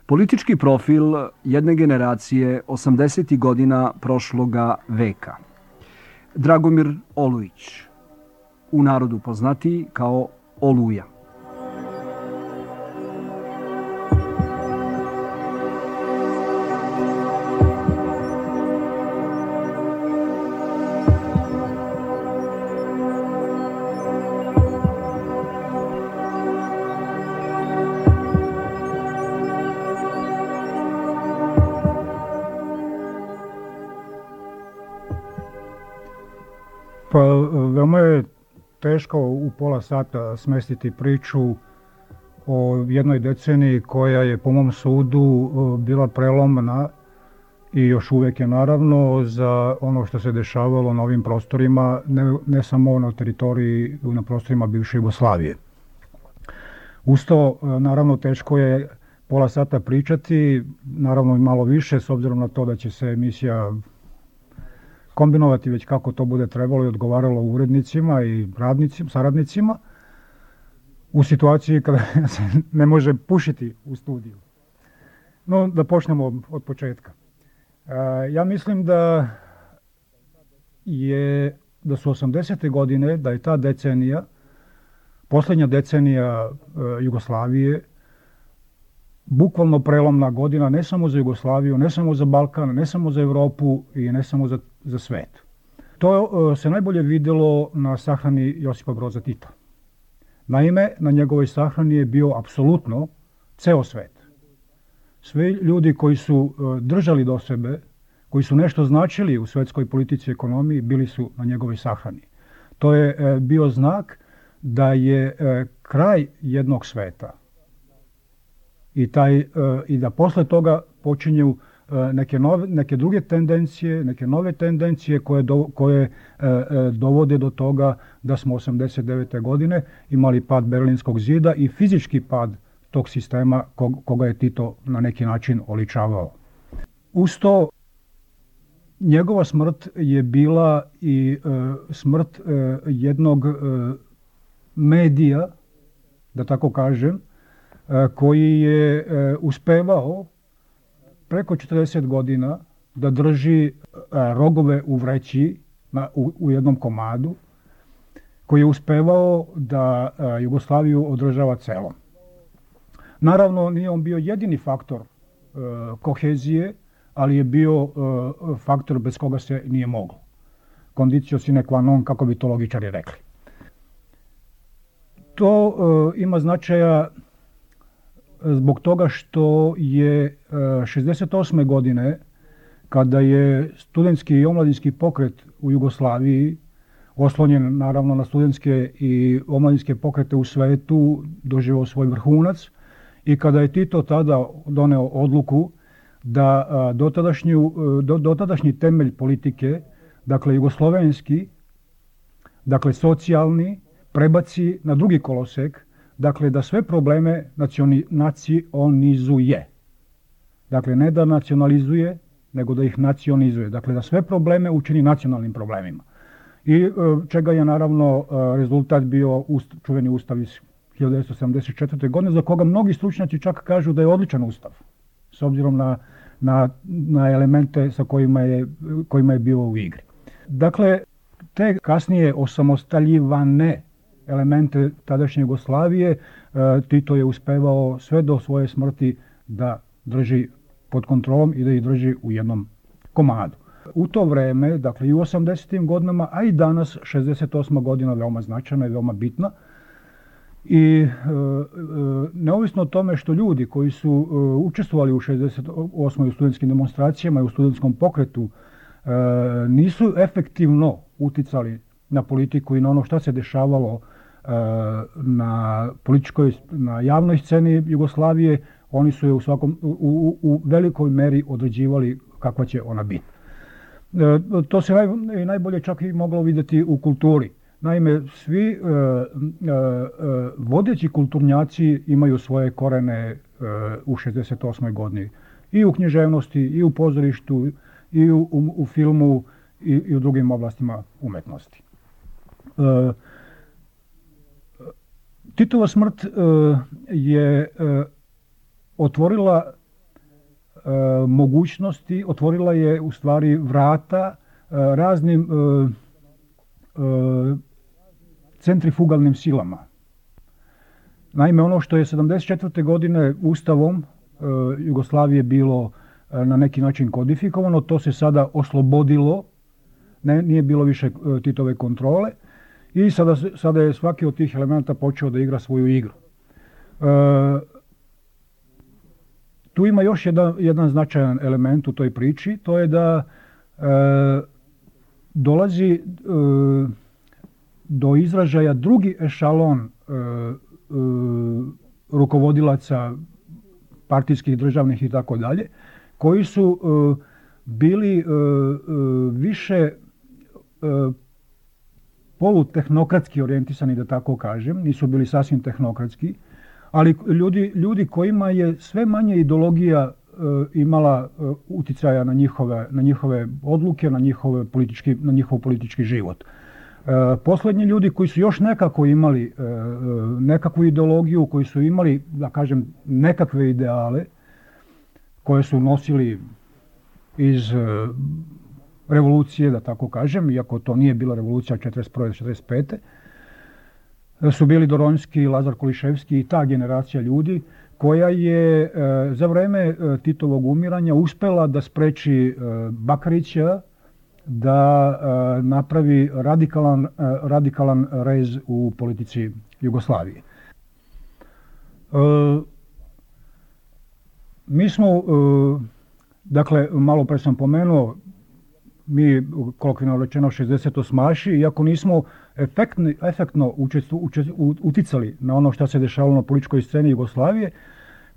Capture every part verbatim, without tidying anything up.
Politički profil jedne generacije osamdesetih godina prošloga veka. Dragomir Olujić, u narodu poznatiji kao Oluja. Pa veoma je teško u pola sata smestiti priču o jednoj deceniji koja je po mom sudu bila prelomna i još uvek je naravno za ono što se dešavalo na ovim prostorima, ne, ne samo na teritoriji, na prostorima bivše Jugoslavije. Uz to, naravno, teško je pola sata pričati, naravno i malo više, s obzirom na to da će se emisija kombinovati već kako to bude trebalo i odgovaralo urednicima i radnicima, saradnicima u situaciji kada se ne može pušiti u studiju. No, da počnemo od početka. E, ja mislim da je da su osamdesete godine, da je ta decenija, poslednja decenija e, Jugoslavije, bukvalno prelomna godina ne samo za Jugoslaviju, ne samo za Balkan, ne samo za Evropu i ne samo za, za svet. To se najbolje videlo na sahrani Josipa Broza Tita. Naime, na njegovoj sahrani je bio apsolutno ceo svet. Svi ljudi koji su držali do sebe, koji su nešto značili u svetskoj politici i ekonomiji, bili su na njegovoj sahrani. To je bio znak da je kraj jednog sveta. I, taj, i da posle toga počinju neke, nove, neke druge tendencije, neke nove tendencije koje, do, koje dovode do toga da smo osamdeset devete godine imali pad Berlinskog zida i fizički pad tog sistema koga je Tito na neki način oličavao. Uz to, njegova smrt je bila i smrt jednog medija, da tako kažem, koji je uspevao preko četrdeset godina da drži rogove u vreći na, u, u jednom komadu, koji je uspevao da Jugoslaviju održava celom. Naravno, nije on bio jedini faktor kohezije, ali je bio faktor bez koga se nije moglo. Condicio sine qua non, kako bi to logičari rekli. To ima značaja zbog toga što je šezdeset osme godine, kada je studentski i omladinski pokret u Jugoslaviji, oslonjen naravno na studentske i omladinske pokrete u svetu, doživao svoj vrhunac i kada je Tito tada doneo odluku da dotadašnju, dotadašnji temelj politike, dakle jugoslovenski, dakle socijalni, prebaci na drugi kolosek, dakle da sve probleme nacionalizuje. Dakle, ne da nacionalizuje, nego da ih nacionizuje. Dakle, da sve probleme učini nacionalnim problemima. I čega je naravno rezultat bio čuveni ustav iz hiljadu devetsto sedamdeset četvrte. godine, za koga mnogi stručnjaci čak kažu da je odličan ustav, s obzirom na, na, na elemente sa kojima je, kojima je bio u igri. Dakle, te kasnije osamostaljivane elemente tadašnje Jugoslavije, Tito je uspevao sve do svoje smrti da drži pod kontrolom i da ih drži u jednom komadu. U to vreme, dakle i u osamdesetim godinama, a i danas, šezdeset osma godina veoma značajna i veoma bitna. I e, e, neovisno o tome što ljudi koji su e, učestvovali u šezdeset osmoj u studentskim demonstracijama i u studentskom pokretu e, nisu efektivno uticali na politiku i na ono šta se dešavalo na političkoj, na javnoj sceni Jugoslavije, oni su je u, svakom, u, u, u velikoj meri određivali kakva će ona biti. E, to se naj, najbolje čak i moglo vidjeti u kulturi. Naime, svi e, e, vodeći kulturnjaci imaju svoje korene e, u šezdeset osmoj godini. I u književnosti, i u pozorištu, i u, u, u filmu, i, i u drugim oblastima umetnosti. E, Titova smrt e, je e, otvorila mogućnosti, otvorila je u stvari vrata raznim centrifugalnim silama. Naime, ono što je sedamdeset četvrte godine Ustavom Jugoslavije bilo na neki način kodifikovano, to se sada oslobodilo, ne, nije bilo više Titove kontrole i sada, sada je svaki od tih elementa počeo da igra svoju igru. E, tu ima još jedan, jedan značajan element u toj priči, to je da e, dolazi e, do izražaja drugi ešalon e, e, rukovodilaca partijskih, državnih i tako dalje, koji su e, bili e, e, više e, polutehnokratski orijentisani, da tako kažem, nisu bili sasvim tehnokratski, ali ljudi, ljudi kojima je sve manje ideologija e, imala e, uticaja na njihove, na njihove odluke, na, njihove politički, na njihov politički život. E, poslednji ljudi koji su još nekako imali e, nekakvu ideologiju, koji su imali, da kažem, nekakve ideale, koje su nosili iz e, revolucije, da tako kažem, iako to nije bila revolucija četrdeset prve do četrdeset pete su bili Doronjski, Lazar Koliševski i ta generacija ljudi koja je e, za vreme e, Titovog umiranja uspela da spreči e, Bakarića da e, napravi radikalan, e, radikalan rez u politici Jugoslavije. E, mi smo, e, dakle, malo pre sam pomenuo, mi, kolokvijalno rečeno, šezdesetosmaši, iako nismo efektni, efektno učestu, učest, uticali na ono što se dešavalo na političkoj sceni Jugoslavije,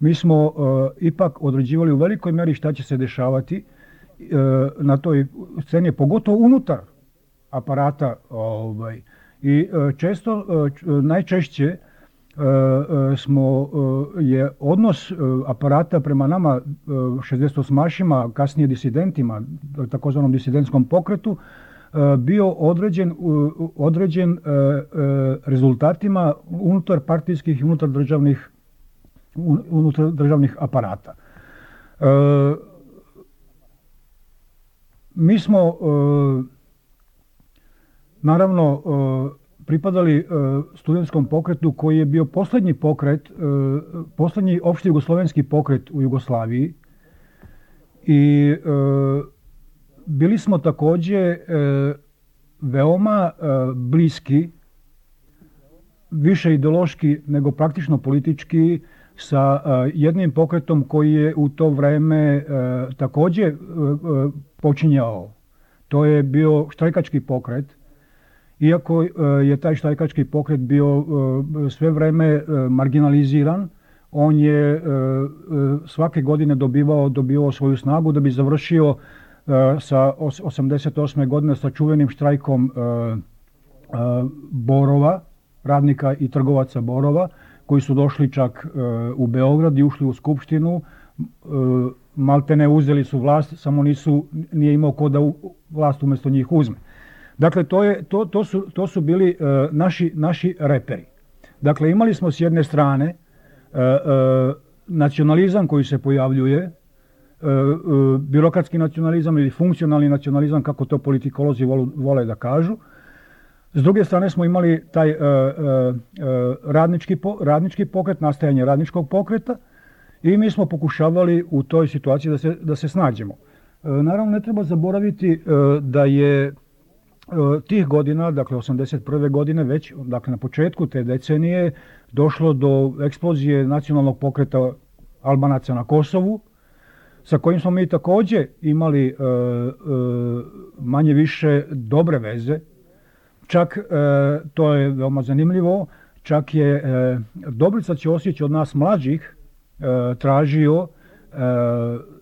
mi smo uh, ipak određivali u velikoj meri šta će se dešavati uh, na toj sceni, pogotovo unutar aparata. Ovaj, I uh, često, uh, najčešće uh, uh, smo, uh, je odnos uh, aparata prema nama uh, šezdesetosmašima, kasnije disidentima, takozvanom disidentskom pokretu, bio određen, određen rezultatima unutar partijskih i unutar državnih, unutar državnih aparata. Mi smo naravno pripadali studentskom pokretu koji je bio poslednji pokret, poslednji opšti jugoslovenski pokret u Jugoslaviji i bili smo takođe e, veoma e, bliski, više ideološki nego praktično politički, sa e, jednim pokretom koji je u to vreme e, takođe e, počinjao. To je bio štrajkački pokret, iako e, je taj štrajkački pokret bio e, sve vreme e, marginaliziran. On je e, e, svake godine dobivao, dobivao svoju snagu da bi završio sa osamdeset osme godine sa čuvenim štrajkom uh, uh, Borova, radnika i trgovaca Borova, koji su došli čak uh, u Beograd i ušli u Skupštinu, uh, maltene uzeli su vlast, samo nisu, nije imao ko da u, vlast umesto njih uzme. Dakle, to, je, to, to, su, to su bili uh, naši, naši reperi. Dakle, imali smo s jedne strane uh, uh, nacionalizam koji se pojavljuje, birokratski nacionalizam ili funkcionalni nacionalizam, kako to politikolozi vole da kažu. S druge strane smo imali taj uh, uh, radnički, po, radnički pokret, nastajanje radničkog pokreta i mi smo pokušavali u toj situaciji da se, da se snađemo. Uh, naravno, ne treba zaboraviti uh, da je uh, tih godina, dakle osamdeset prve godine, već dakle, na početku te decenije došlo do eksplozije nacionalnog pokreta Albanaca na Kosovu, sa kojim smo mi takođe imali e, e, manje više dobre veze. Čak, e, to je veoma zanimljivo, čak je e, Dobrica Ćosić od nas mlađih e, tražio e,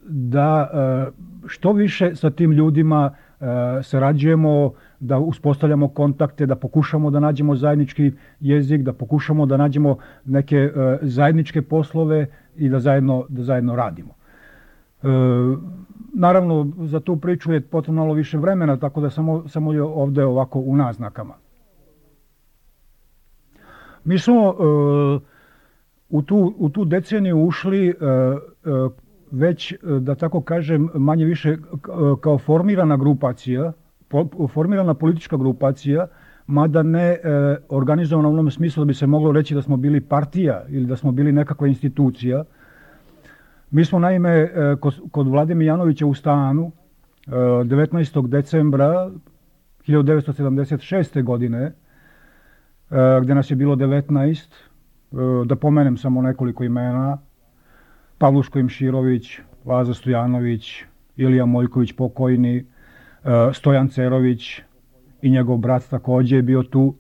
da e, što više sa tim ljudima e, sarađujemo, da uspostavljamo kontakte, da pokušamo da nađemo zajednički jezik, da pokušamo da nađemo neke e, zajedničke poslove i da zajedno, da zajedno radimo. E, naravno, za tu priču je potrebno malo više vremena, tako da samo, samo je ovde ovako u naznakama. Mi smo e, u, tu, u tu deceniju ušli e, e, već, da tako kažem, manje više kao formirana grupacija, formirana politička grupacija, mada ne organizovana u onom smislu da bi se moglo reći da smo bili partija ili da smo bili nekakva institucija. Mi smo naime kod Vlade Mijanovića u stanu devetnaestog decembra hiljadu devetsto sedamdeset šeste. godine, gdje nas je bilo devetnaest, da pomenem samo nekoliko imena: Pavluško Imširović, Laza Stojanović, Ilija Moljković pokojni, Stojan Cerović i njegov brat također je bio tu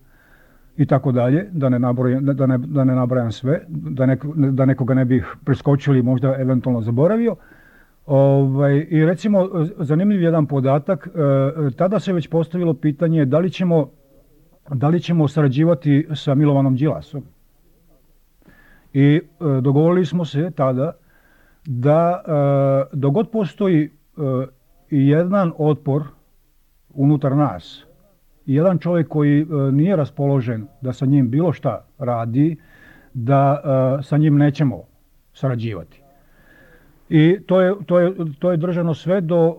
i tako dalje, da ne nabrojam, da ne, da ne nabrajam sve, da, nek, da nekoga ne bih preskočili i možda eventualno zaboravio. Ovaj, I recimo, zanimljiv jedan podatak, tada se već postavilo pitanje da li ćemo, da li ćemo sarađivati sa Milovanom Đilasom. I dogovorili smo se tada da dok god postoji jedan otpor unutar nas, jedan čovjek koji nije raspoložen da sa njim bilo šta radi, da sa njim nećemo sarađivati. I to je, to je, to je držano sve do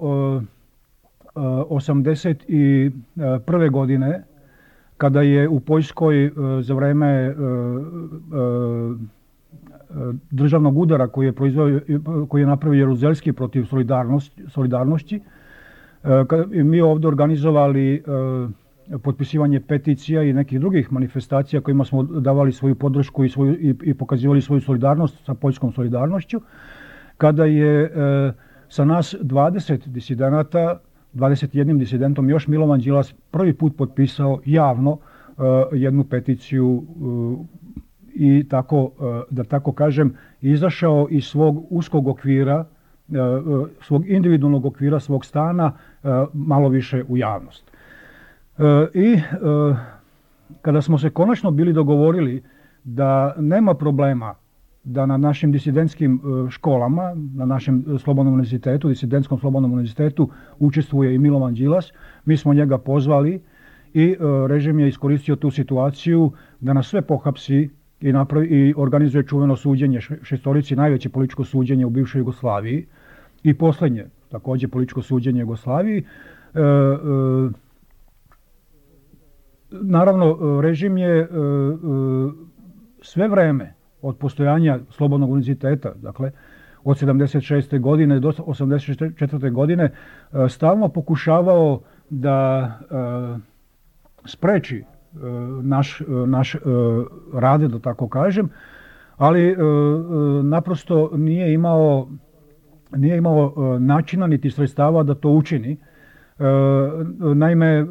osamdeset prve. godine, kada je u Poljskoj za vreme državnog udara koji je, koji je napravio Jaruzelski protiv solidarnosti, solidarnosti, mi ovdje organizovali potpisivanje peticija i nekih drugih manifestacija kojima smo davali svoju podršku i, svoju, i, i pokazivali svoju solidarnost sa poljskom solidarnošću, kada je e, sa nas dvadeset disidenata, dvadeset jedan disidentom još Milovan Đilas prvi put potpisao javno e, jednu peticiju e, i tako, e, da tako kažem, izašao iz svog uskog okvira, e, svog individualnog okvira, svog stana, e, malo više u javnost. E, I e, kada smo se konačno bili dogovorili da nema problema da na našim disidentskim školama, na našem slobodnom univerzitetu, disidentskom slobodnom univerzitetu učestvuje i Milovan Đilas, mi smo njega pozvali i režim je iskoristio tu situaciju da nas sve pohapsi i, napravi, i organizuje čuveno suđenje šestorici, najveće političko suđenje u bivšoj Jugoslaviji i posljednje također političko suđenje Jugoslaviji. E, e, naravno, režim je e, e, sve vreme od postojanja slobodnog univerziteta, dakle od sedamdeset šeste. godine do osamdeset četvrte. godine stalno pokušavao da spreči naš, naš rad, da tako kažem, ali naprosto nije imao, nije imao načina niti sredstava da to učini. Naime,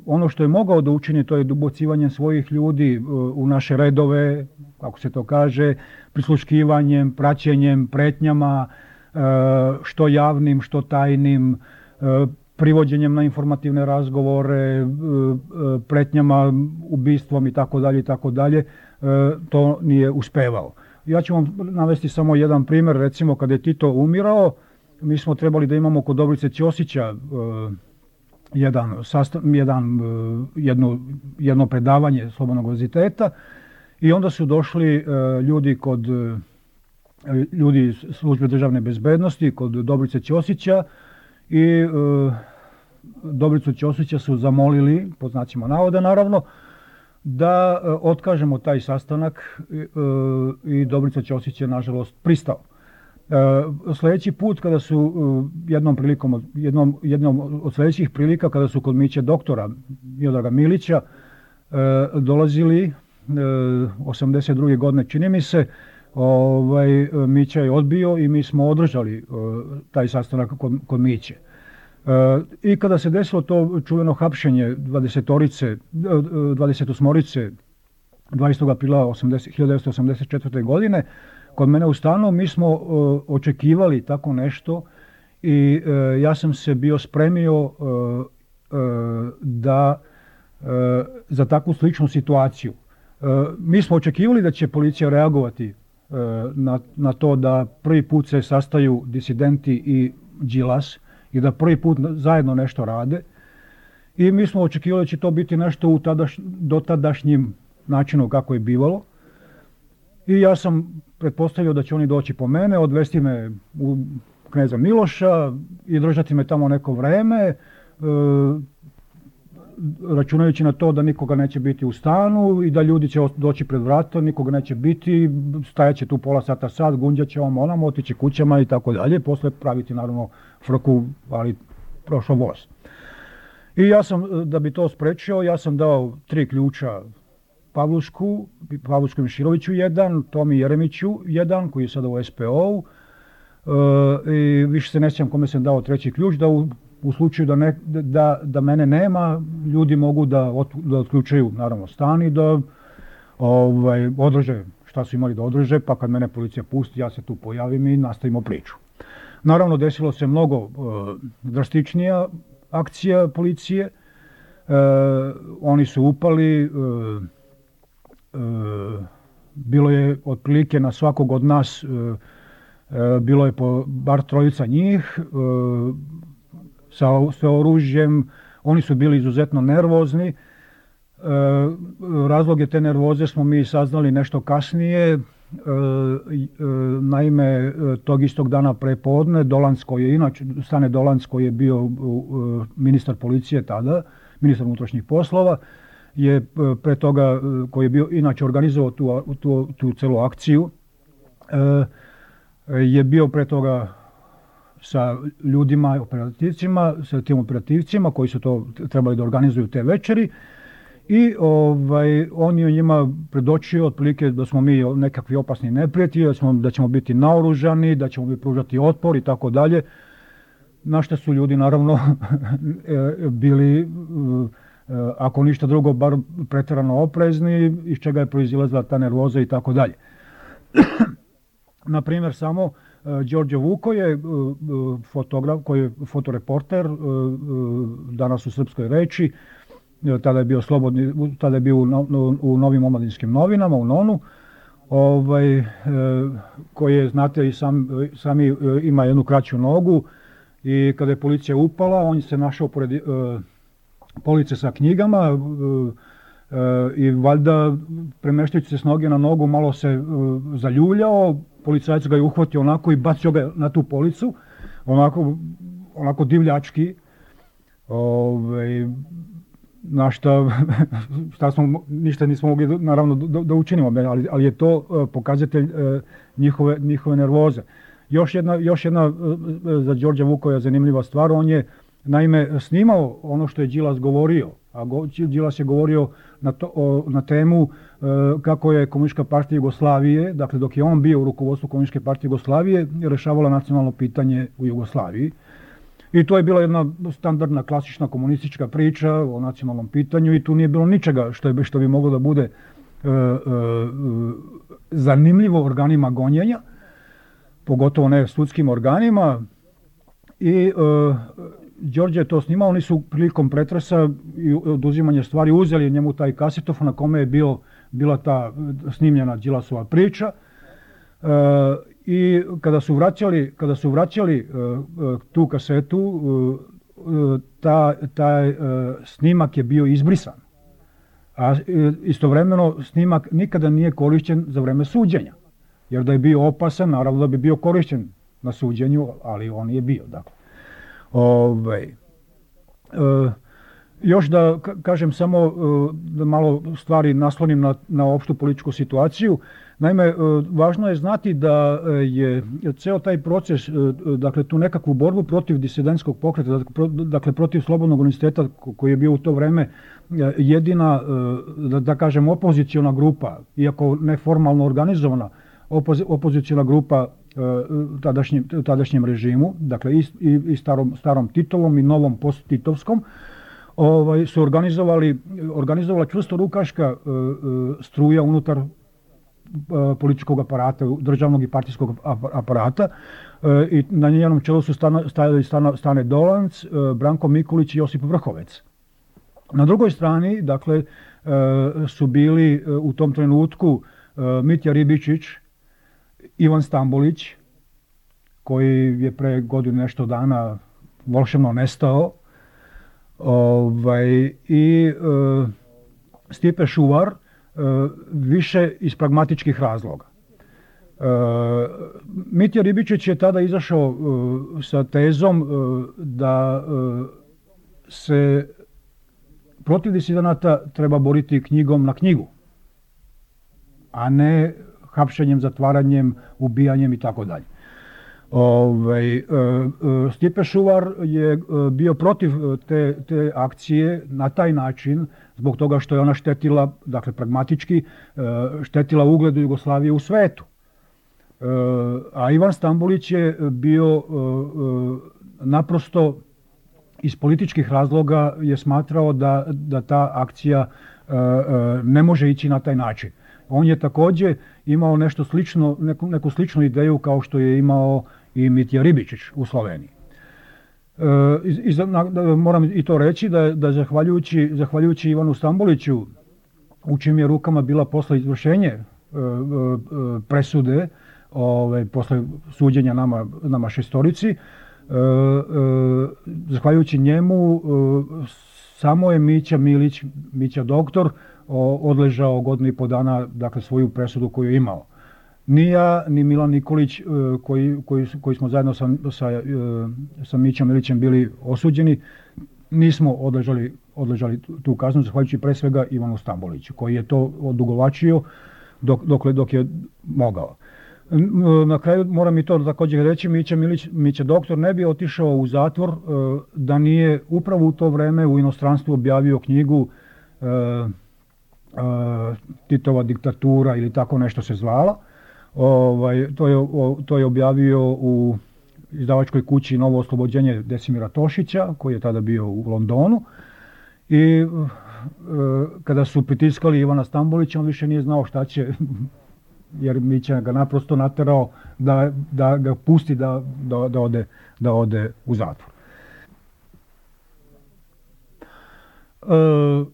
ono što je mogao da učini, to je ubacivanje svojih ljudi u naše redove, kako se to kaže, prisluškivanjem, praćenjem, pretnjama, što javnim, što tajnim, privođenjem na informativne razgovore, pretnjama, ubistvom i tako dalje i tako dalje, to nije uspevao. Ja ću vam navesti samo jedan primjer, recimo kada je Tito umirao, mi smo trebali da imamo kod Dobrice Ćosića jedan, jedan, jedno, jedno predavanje Slobodnog univerziteta i onda su došli ljudi kod ljudi iz službe državne bezbednosti, kod Dobrice Ćosića i Dobricu Ćosića su zamolili, pod znacima navoda naravno, da otkažemo taj sastanak i Dobrica Ćosić je nažalost pristao. Sljedeći put kada su jednom prilikom, jednom, jednom od sljedećih prilika kada su kod Miće doktora Miodraga Milića dolazili osamdeset druge. godine čini mi se, ovaj, Mića je odbio i mi smo održali taj sastanak kod, kod Miće. I kada se desilo to čuveno hapšenje dvadesetorice, dvadesetosmorice dvadesetog aprila hiljadu devetsto osamdeset četvrte. godine, kod mene u stanu mi smo uh, očekivali tako nešto i uh, ja sam se bio spremio uh, uh, da uh, za takvu sličnu situaciju. Uh, mi smo očekivali da će policija reagovati uh, na, na to da prvi put se sastaju disidenti i Đilas i da prvi put zajedno nešto rade i mi smo očekivali da će to biti nešto u tadaš, dotadašnjim načinu kako je bivalo. I ja sam pretpostavio da će oni doći po mene, odvesti me u Kneza Miloša i držati me tamo neko vreme, e, računajući na to da nikoga neće biti u stanu i da ljudi će doći pred vrata, nikoga neće biti, stajat će tu pola sata sad, gunđat će ovom onamo, otići kućama i tako dalje, posle praviti naravno frku, ali prošao voz. I ja sam, da bi to sprečio, ja sam dao tri ključa Pavlušku, Pavlušku Miširoviću jedan, Tomi Jeremiću jedan, koji je sada u S P O-u, e, i više se ne sjećam kome sam dao treći ključ, da u, u slučaju da, ne, da, da mene nema, ljudi mogu da, od, da otključaju naravno stan i da ovaj, održe šta su imali da održe, pa kad mene policija pusti, ja se tu pojavim i nastavimo priču. Naravno, desilo se mnogo e, drastičnija akcija policije, e, oni su upali, e, e, bilo je otprilike na svakog od nas, e, e, bilo je po bar trojica njih, e, sa, sa oružjem, oni su bili izuzetno nervozni, e, razloge te nervoze smo mi saznali nešto kasnije. E, e, naime, tog istog dana prepodne Dolanc koji je inače, Stane Dolanc koji je bio e, ministar policije tada, ministar unutrašnjih poslova, je pre toga, koji je bio inače organizovao tu, tu, tu celu akciju, e, je bio pre toga sa ljudima, operativcima, sa tim operativcima koji su to trebali da organizuju te večeri. I ovaj, on je njima predočio otprilike da smo mi nekakvi opasni neprijatelji, da, da ćemo biti naoružani, da ćemo mi pružati otpor i tako dalje. Na što su ljudi naravno bili, ako ništa drugo, bar pretjerano oprezni, iz čega je proizilazila ta nervoza i tako dalje. Na primjer, samo Đorđe Vuko je fotograf, koji je fotoreporter danas u Srpskoj reči, tada je bio slobodni, tada je bio u, no, u Novim omladinskim novinama, u Nonu, ovaj, e, koji je, znate, i sam, sami ima jednu kraću nogu i kada je policija upala, on se našao pored e, police sa knjigama e, e, i valjda premeštajući se s noge na nogu malo se e, zaljuljao, policajac ga je uhvatio onako i bacio ga na tu policu, onako, onako divljački, ovaj, na šta, šta smo, ništa nismo mogli naravno da, da učinimo, ali, ali je to uh, pokazatelj uh, njihove, njihove nervoze. Još jedna, još jedna uh, za Đorđa Vukoja zanimljiva stvar, on je naime snimao ono što je Đilas govorio, a go, Đilas je govorio na, to, o, na temu uh, kako je Komunistička partija Jugoslavije, dakle dok je on bio u rukovodstvu Komunističke partije Jugoslavije, rešavala nacionalno pitanje u Jugoslaviji. I to je bila jedna standardna, klasična komunistička priča o nacionalnom pitanju i tu nije bilo ničega što, je, što bi moglo da bude e, e, zanimljivo organima gonjenja, pogotovo ne sudskim organima. I e, Đorđe je to snimao, oni su prilikom pretresa i oduzimanja stvari uzeli njemu taj kasetofon na kome je bio, bila ta snimljena Đilasova priča. E, I kada su vraćali, kada su vraćali uh, tu kasetu, uh, ta, taj uh, snimak je bio izbrisan. A uh, istovremeno snimak nikada nije korišćen za vreme suđenja. Jer da je bio opasan, naravno da bi bio korišćen na suđenju, ali on je bio. Dakle. Ovaj, uh, još da kažem samo, uh, da malo stvari naslonim na, na opštu političku situaciju. Naime, važno je znati da je ceo taj proces, dakle tu nekakvu borbu protiv disidentskog pokreta, dakle protiv Slobodnog univerziteta koji je bio u to vreme jedina, da, da kažem, opoziciona grupa, iako neformalno organizovana, opozi, opoziciona grupa tadašnjem, tadašnjem režimu, dakle i, i, i starom, starom Titovom i novom post-titovskom, ovaj, su organizovali, organizovala čvrstorukaška struja unutar političkog aparata, državnog i partijskog aparata i na njenom čelu su stajali Stane Dolanc, Branko Mikulić i Josip Vrhovec. Na drugoj strani, dakle, su bili u tom trenutku Mitja Ribičić, Ivan Stambolić, koji je pre godinu nešto dana volšebno nestao, ovaj, i Stipe Šuvar, više iz pragmatičkih razloga. Mitja Ribičić je tada izašao sa tezom da se protiv disidenata treba boriti knjigom na knjigu, a ne hapšenjem, zatvaranjem, ubijanjem i tako dalje. Stipe Šuvar je bio protiv te, te akcije na taj način, zbog toga što je ona štetila, dakle pragmatički, štetila ugledu Jugoslavije u svetu. A Ivan Stambolić je bio naprosto iz političkih razloga je smatrao da, da ta akcija ne može ići na taj način. On je također imao nešto slično, neku, neku sličnu ideju kao što je imao i Mitja Ribičić u Sloveniji. E, i, na, da, moram i to reći da, da zahvaljujući, zahvaljujući Ivanu Stamboliću, u čim je rukama bila posle izvršenje e, e, presude, ove, posle suđenja nama, nama šestorici, e, e, zahvaljujući njemu e, samo je Mića Milić, Mića doktor, odležao godinu i po dana, dakle, svoju presudu koju je imao. Ni ja, ni Milan Nikolić, koji, koji, koji smo zajedno sa, sa, sa Mićom Milićem bili osuđeni, nismo odležali, odležali tu kaznu, zahvaljujući pre svega Ivanu Stamboliću, koji je to odugovačio dok, dok, dok je mogao. Na kraju moram i to također reći, Mića Milić, Mića doktor ne bi otišao u zatvor da nije upravo u to vreme u inostranstvu objavio knjigu Titova diktatura ili tako nešto se zvala. Ovaj, to, je, to je objavio u izdavačkoj kući Novo oslobođenje Desimira Tošića, koji je tada bio u Londonu. I e, kada su pritiskali Ivana Stambolića, on više nije znao šta će, jer Mića ga naprosto naterao da, da ga pusti da, da, da, ode, da ode u zatvor. E,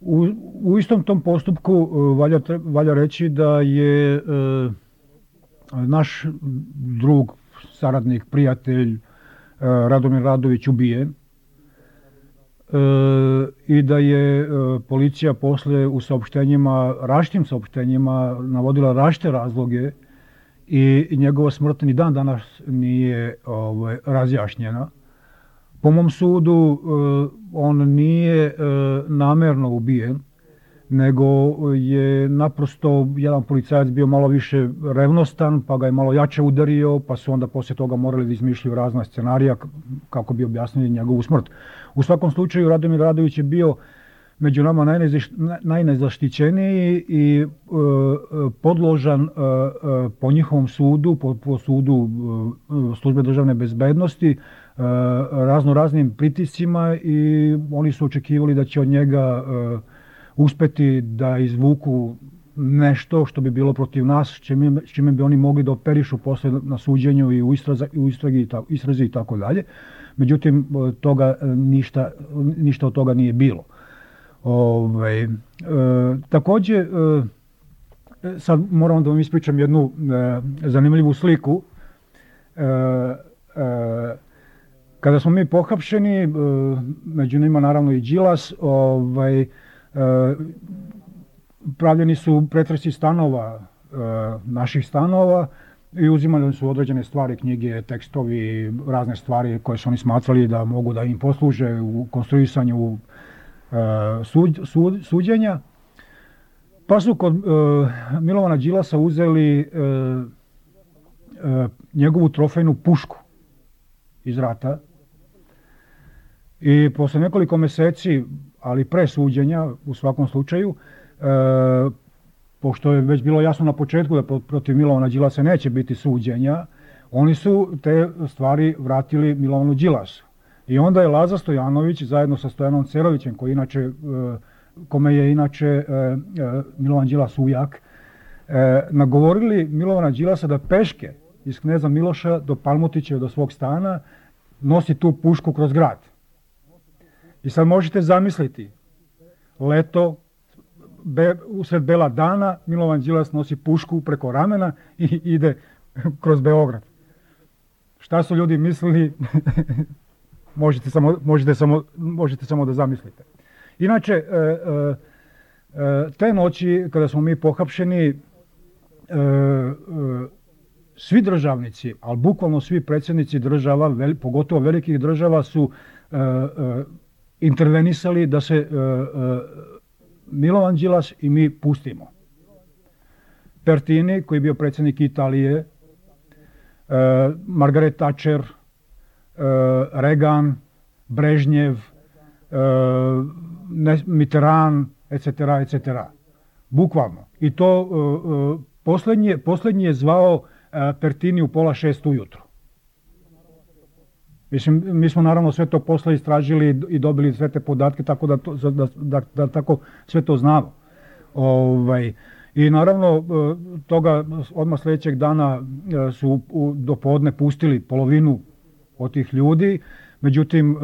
U, u istom tom postupku uh, valja, valja reći da je uh, naš drug, saradnik, prijatelj uh, Radomir Radović ubijen uh, i da je uh, policija posle u saopštenjima, različitim saopštenjima navodila različite razloge i, i njegova smrt ni dan danas nije ovaj, razjašnjena. Po mom sudu, on nije namerno ubijen, nego je naprosto jedan policajac bio malo više revnostan, pa ga je malo jače udario, pa su onda poslije toga morali da izmišljaju razna scenarija kako bi objasnili njegovu smrt. U svakom slučaju, Radomir Radović je bio među nama najnezaštićeniji i podložan po njihovom sudu, po, po sudu službe državne bezbednosti, razno raznim pritiscima i oni su očekivali da će od njega uh, uspeti da izvuku nešto što bi bilo protiv nas, s čime, s čime bi oni mogli da operišu posle na suđenju i u, istraza, u istragi, i tako, istrazi i tako dalje. Međutim, toga ništa, ništa od toga nije bilo. Ove, e, također, e, sad moram da vam ispričam jednu e, zanimljivu sliku. E, e, Kada smo mi pohapšeni, među njima naravno i Đilas, ovaj, pravljeni su pretresi stanova, naših stanova i uzimali su određene stvari, knjige, tekstovi, razne stvari koje su oni smatrali da mogu da im posluže u konstruisanju sud, sud, suđenja. Pa su kod Milovana Đilasa uzeli njegovu trofejnu pušku iz rata i posle nekoliko meseci, ali pre suđenja u svakom slučaju, e, pošto je već bilo jasno na početku da protiv Milovana Đilasa neće biti suđenja, oni su te stvari vratili Milovanu Đilasu. I onda je Laza Stojanović zajedno sa Stojanom Cerovićem, koji inače, e, kome je inače e, e, Milovan Đilas ujak, e, nagovorili Milovana Đilasa da peške iz Kneza Miloša do Palmotića, do svog stana, nosi tu pušku kroz grad. I sad možete zamisliti, leto, be, usred bela dana, Milovan Đilas nosi pušku preko ramena i ide kroz Beograd. Šta su ljudi mislili, možete, samo, možete, samo, možete samo da zamislite. Inače, e, e, te noći kada smo mi pohapšeni, e, e, svi državnici, ali bukvalno svi predsjednici država, veli, pogotovo velikih država, su e, e, intervenisali da se e, e, Milovan Đilas i mi pustimo. Pertini, koji je bio predsjednik Italije, e, Margaret Thatcher, e, Reagan, Brežnjev, e, Mitterrand, et cetera, et cetera. Bukvalno. I to e, posljednji, posljednji je zvao e, Pertini u pola šest ujutro. Mislim, mi smo naravno sve to posle istražili i dobili sve te podatke, tako da, to, da, da, da tako sve to znamo. Ovaj, I naravno, toga odmah sljedećeg dana su do podne pustili polovinu od tih ljudi, međutim,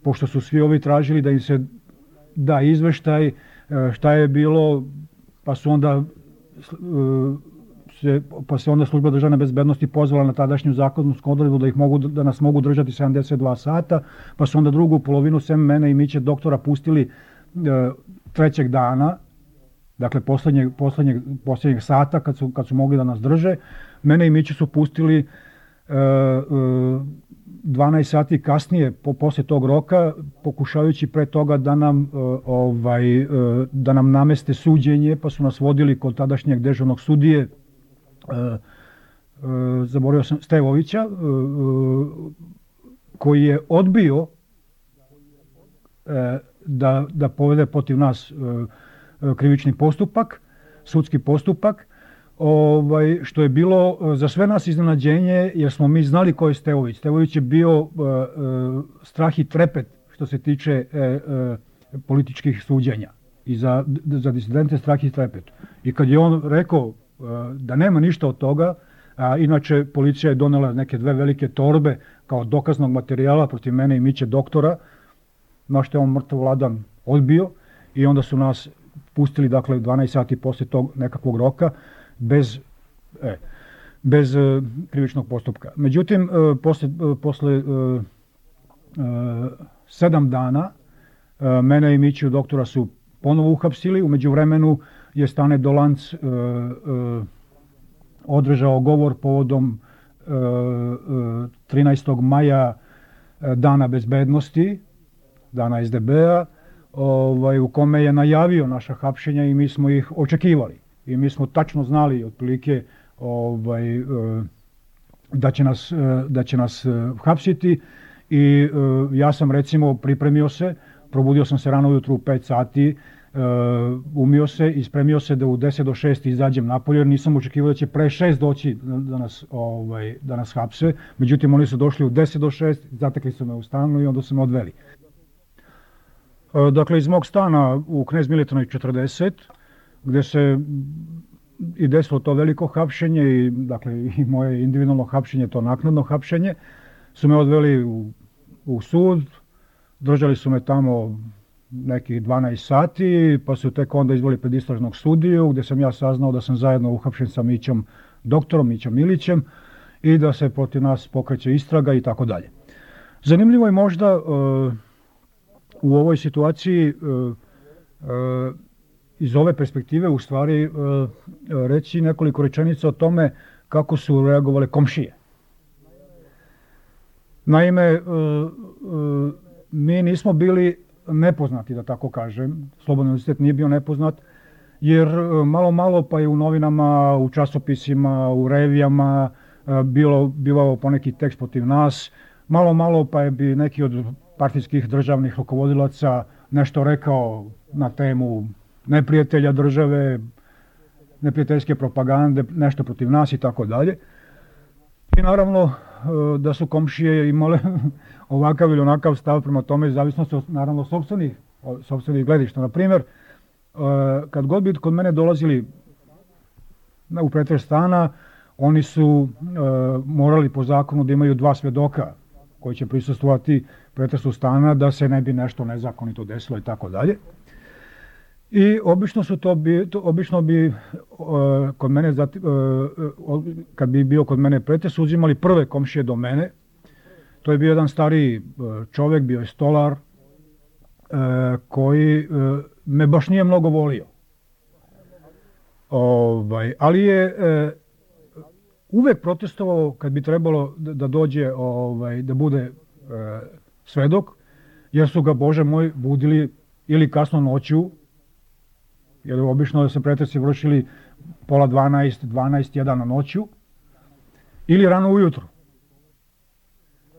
pošto su svi ovi tražili da im se da izveštaj šta je bilo, pa su onda se, pa se onda služba državne bezbednosti pozvala na tadašnju zakonsku odredbu da ih mogu, da nas mogu držati sedamdeset dva sata, pa su onda drugu polovinu sem mene i Miće doktora pustili trećeg dana, dakle posljednjeg, posljednjeg, posljednjeg sata kad su, kad su mogli da nas drže. Mene i Miće su pustili e, e, dvanaest sati kasnije, po, posle tog roka, pokušavajući pre toga da nam, e, ovaj, e, da nam nameste suđenje, pa su nas vodili kod tadašnjeg dežurnog sudije, e, e, zaboravio sam, Stevovića, e, koji je odbio e, da, da povede protiv nas e, krivični postupak, sudski postupak, ovaj, što je bilo za sve nas iznenađenje, jer smo mi znali ko je Stevović. Stevović je bio uh, uh, strah i trepet što se tiče uh, uh, političkih suđenja i za, za disidente strah i trepet. I kad je on rekao uh, da nema ništa od toga, a inače policija je donela neke dve velike torbe kao dokaznog materijala protiv mene i Miće doktora, na što je on mrtav ladan odbio i onda su nas pustili, dakle, dvanaest sati poslije tog nekakvog roka bez, e, bez e, krivičnog postupka. Međutim, e, posle, e, posle e, e, sedam dana e, mene i Miću doktora su ponovo uhapsili. U međuvremenu je Stane Dolanc e, e, održao govor povodom e, e, trinaestog maja e, Dana bezbednosti, Dana es de be-a, Ovaj, u kome je najavio naša hapšenja i mi smo ih očekivali. I mi smo tačno znali otprilike ovaj, da će nas, da će nas hapsiti i ja sam recimo pripremio se, probudio sam se rano ujutru u pet sati, umio se i spremio se da u deset do šest izađem napolje, jer nisam očekivao da će pre šest doći da nas, ovaj, da nas hapse. Međutim, oni su došli u deset do šest, zatekli su me u stanu i onda su me odveli. Dakle, iz mog stana u Knez Miletinovoj četrdeset, gdje se i desilo to veliko hapšenje i, dakle, i moje individualno hapšenje, to naknadno hapšenje, su me odveli u, u sud, držali su me tamo nekih dvanaest sati, pa su tek onda izveli pred istražnog sudiju, gdje sam ja saznao da sam zajedno uhapšen sa Mićom doktorom, Mićom Milićem, i da se protiv nas pokreće istraga i tako dalje. Zanimljivo je možda uh, u ovoj situaciji uh, uh, iz ove perspektive u stvari uh, reći nekoliko rečenica o tome kako su reagovale komšije. Naime, uh, uh, mi nismo bili nepoznati, da tako kažem, Slobodni univerzitet nije bio nepoznat, jer uh, malo malo pa je u novinama, u časopisima, u revijama uh, bilo, bivao poneki tekst protiv nas, malo malo pa je bi neki od partijskih državnih rukovodilaca nešto rekao na temu neprijatelja države, neprijateljske propagande, nešto protiv nas i tako dalje. I naravno da su komšije imale ovakav ili onakav stav prema tome, zavisno se naravno sopstvenih, sopstvenih gledišta. Na primjer, kad god bi kod mene dolazili u pretres stana, oni su morali po zakonu da imaju dva svedoka koji će prisustvovati pretresu stana da se ne bi nešto nezakonito desilo i tako dalje. I obično su to bi, to, obično bi uh, kod mene, zati, uh, kad bi bio kod mene pretres, uzimali prve komšije do mene. To je bio jedan stariji uh, čovjek, bio je stolar, uh, koji uh, me baš nije mnogo volio. Ovaj, ali je e, uvek protestovao kad bi trebalo da, da dođe, ovaj, da bude e, svedok, jer su ga, Bože moj, budili ili kasno noću, jer obično se pretresi vršili pola dvanaest, dvanaest, jedan na noću, ili rano ujutro.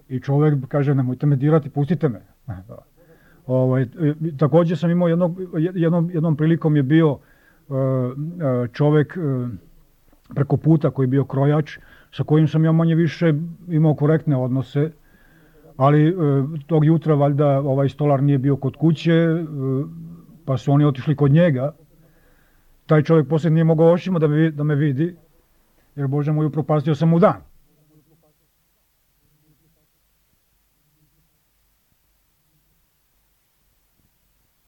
I čovek kaže, nemojte me dirati, pustite me. Ovaj, takođe sam imao jednog, jednom, jednom prilikom je bio čovek preko puta koji je bio krojač, sa kojim sam ja manje više imao korektne odnose, ali tog jutra valjda ovaj stolar nije bio kod kuće, pa su oni otišli kod njega. Taj čovjek poslije nije mogao očima da me, da me vidi, jer Bože moj, upropastio sam mu dan.